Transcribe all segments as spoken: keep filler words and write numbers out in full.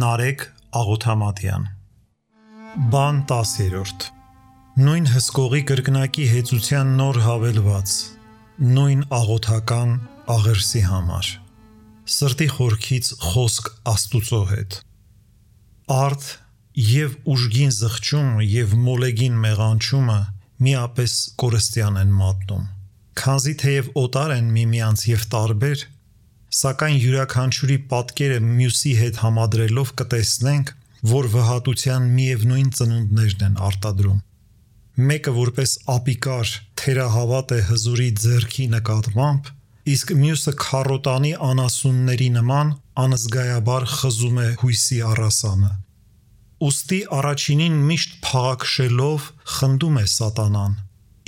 Նարեկ Աղոթամատյան Բան տասերորդ Նույն հսկողի կրկնակի հեծության նոր հավելված Նույն աղոթական աղերսի համար Սրտի խորքից խոսք Աստուծո հետ Արդ և ուժգին զղջումը և մոլեգին մեղանչումը միապես կորստյան են մատնում Քանզի թեև օտար են միմյանց և տարբեր Սակայն յուրաքանչյուրի պատկերը մյուսի հետ համադրելով կտեսնենք, որ վհատության միևնույն ծնունդներն են արտադրում Մեկը որպես ապիկար թերահավատ է հզորի ձեռքի նկատմամբ, իսկ մյուսը քառոտանի անասունների նման անզգայաբար խզում է հույսի առասանը Ուստի առաջինին միշտ փաղաքշելով խնդում է սատանան,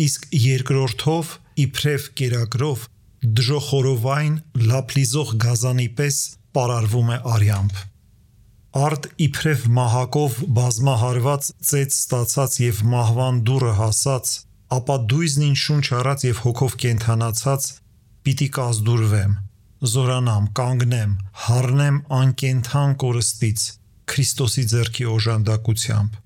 իսկ երկրորդով իբրև կերակրով դժոխորովայն լափլիզող գազանի պես պարարվում է արյամբ Արդ իբրև մահակով բազմահարված ծեծ ստացած և մահվան դուռը հասած, ապա դույզնին շունչ առած և հոգով կենդանացած պիտի կազդուրվեմ, զորանամ, կանգնեմ, հառնեմ անկենդան կորստից, Քրիստոսի ձեռքի օժանդակությամբ,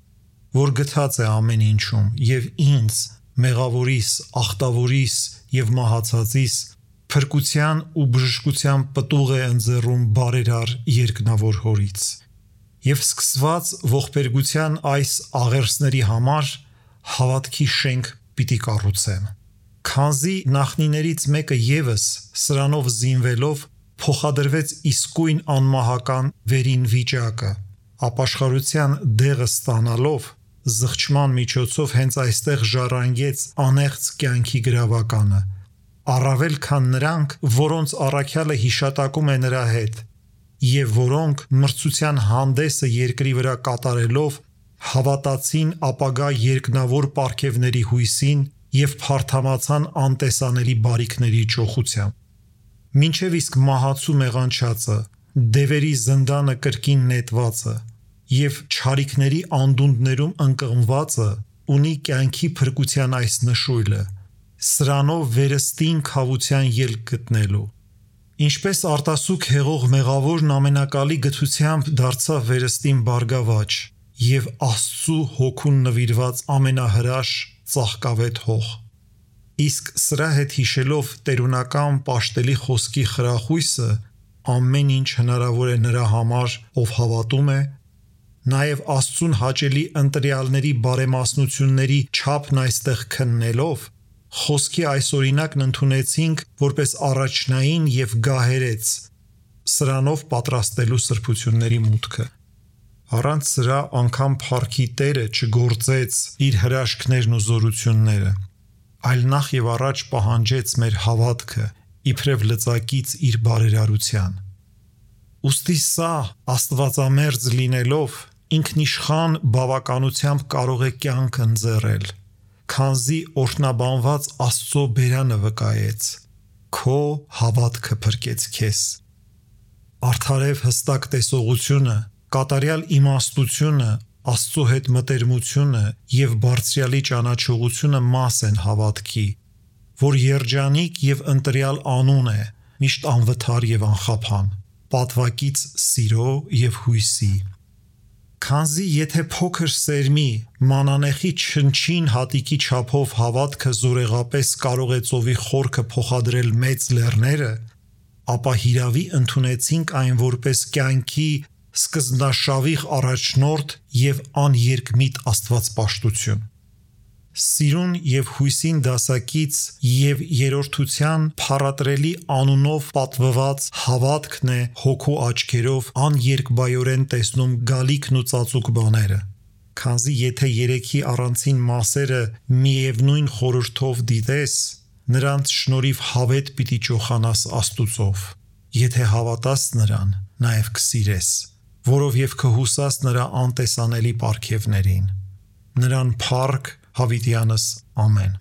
որ գթած է ամեն ինչում և ինձ, մեղավորիս, ախտավորիս և մահացածիս, փրկության ու բժշկության պտուղ է ընձեռում բարերար երկնավոր հորից Եվ սկսված ողբերգության այս աղերսների համար հավատքի շենք պիտի կառուցեմ Քանզի նախնիներից մեկը ևս սրանով զինվելով փոխադրվեց իսկույն անմահական վերին վիճակը ապաշխարության դեղը ստանալով զղջման միջոցով հենց այստեղ ժառանգեց անեղծ կյանքի գրավականը առավել քան նրանք, որոնց առաքյալը հիշատակում է նրա հետ և որոնք մրցության հանդեսը երկրի վրա կատարելով հավատացին ապագա երկնավոր պարգևների հույսին և փարթամացան անտեսանելի բարիքների ճոխությամբ Մինչև իսկ մահացու մեղանչածը, դևերի զնդանը կրկին նետվածը և չարիքների անդունդներում ընկղմվածը ունի կյանքի փրկության այս նշույլը Սրանով վերստին քավության ելք գտնելու Ինչպես արտասուք հեղող մեղավորն ամենակալի գթությամբ դարձավ վերստին բարգավաճ և Աստծու հոգուն նվիրված ամենահրաշ ծաղկավետ հող Իսկ սրա հետ հիշելով տերունական պաշտելի խոսքի խրախույսը ամեն ինչ հնարավոր է նրա համար, ով հավատում է նաև Աստծուն հաճելի ընտրյալների բարեմասնությունների չափն այստեղ քննելով Խոսքի այս օրինակն ընդունեցինք որպես առաջնային և գահերեց սրանով պատրաստելու սրբությունների մուտքը Առանց սրա անգամ փառքի Տերը չգործեց իր հրաշքներն ու զորությունները այլ նախ և առաջ պահանջեց մեր հավատքը իբրև լծակից իր բարերարության Ուստի սա աստվածամերձ լինելով ինքնիշխան բավականությամբ կարող է կյանք ընձեռել Քանզի օրհնաբանված Աստծո բերանը վկայեց Քո հավատքը փրկեց քեզ Արդարև հստակ տեսողությունը, կատարյալ իմաստությունը, Աստծո հետ մտերմությունը և Բարձրյալի ճանաչողությունը մաս են հավատքի, որ երջանիկ և ընտրյալ անուն է, միշտ անվթար և անխափան, պատվակից սիրո և հույսի Քանզի եթե փոքր սերմի, մանանեխի չնչին հատիկի չափով հավատքը զորեղապես կարող է ծովի խորքը փոխադրել մեծ լեռները, ապա հիրավի ընդունեցինք այն որպես կյանքի սկզբնաշավիղ առաջնորդ և աներկմիտ աստվածպաշտություն Սիրուն և հույսին դասակից և երրորդության փառատրելի անունով պատվված հավատքն է հոգու աչքերով աներկբայորեն տեսնում գալիքն ու ծածուկ բաները Քանզի եթե երեքի առանցին մասերը միևնույն խորհրդով դիտես, նրանց շնորհիվ հավետ պիտի ճոխանաս Աստուծով, եթե հավատաս նրան, նաև կսիրես, որով և կհուսաս նրա անտեսանելի պարգևներին Նրան փառք հավիտյանս ամեն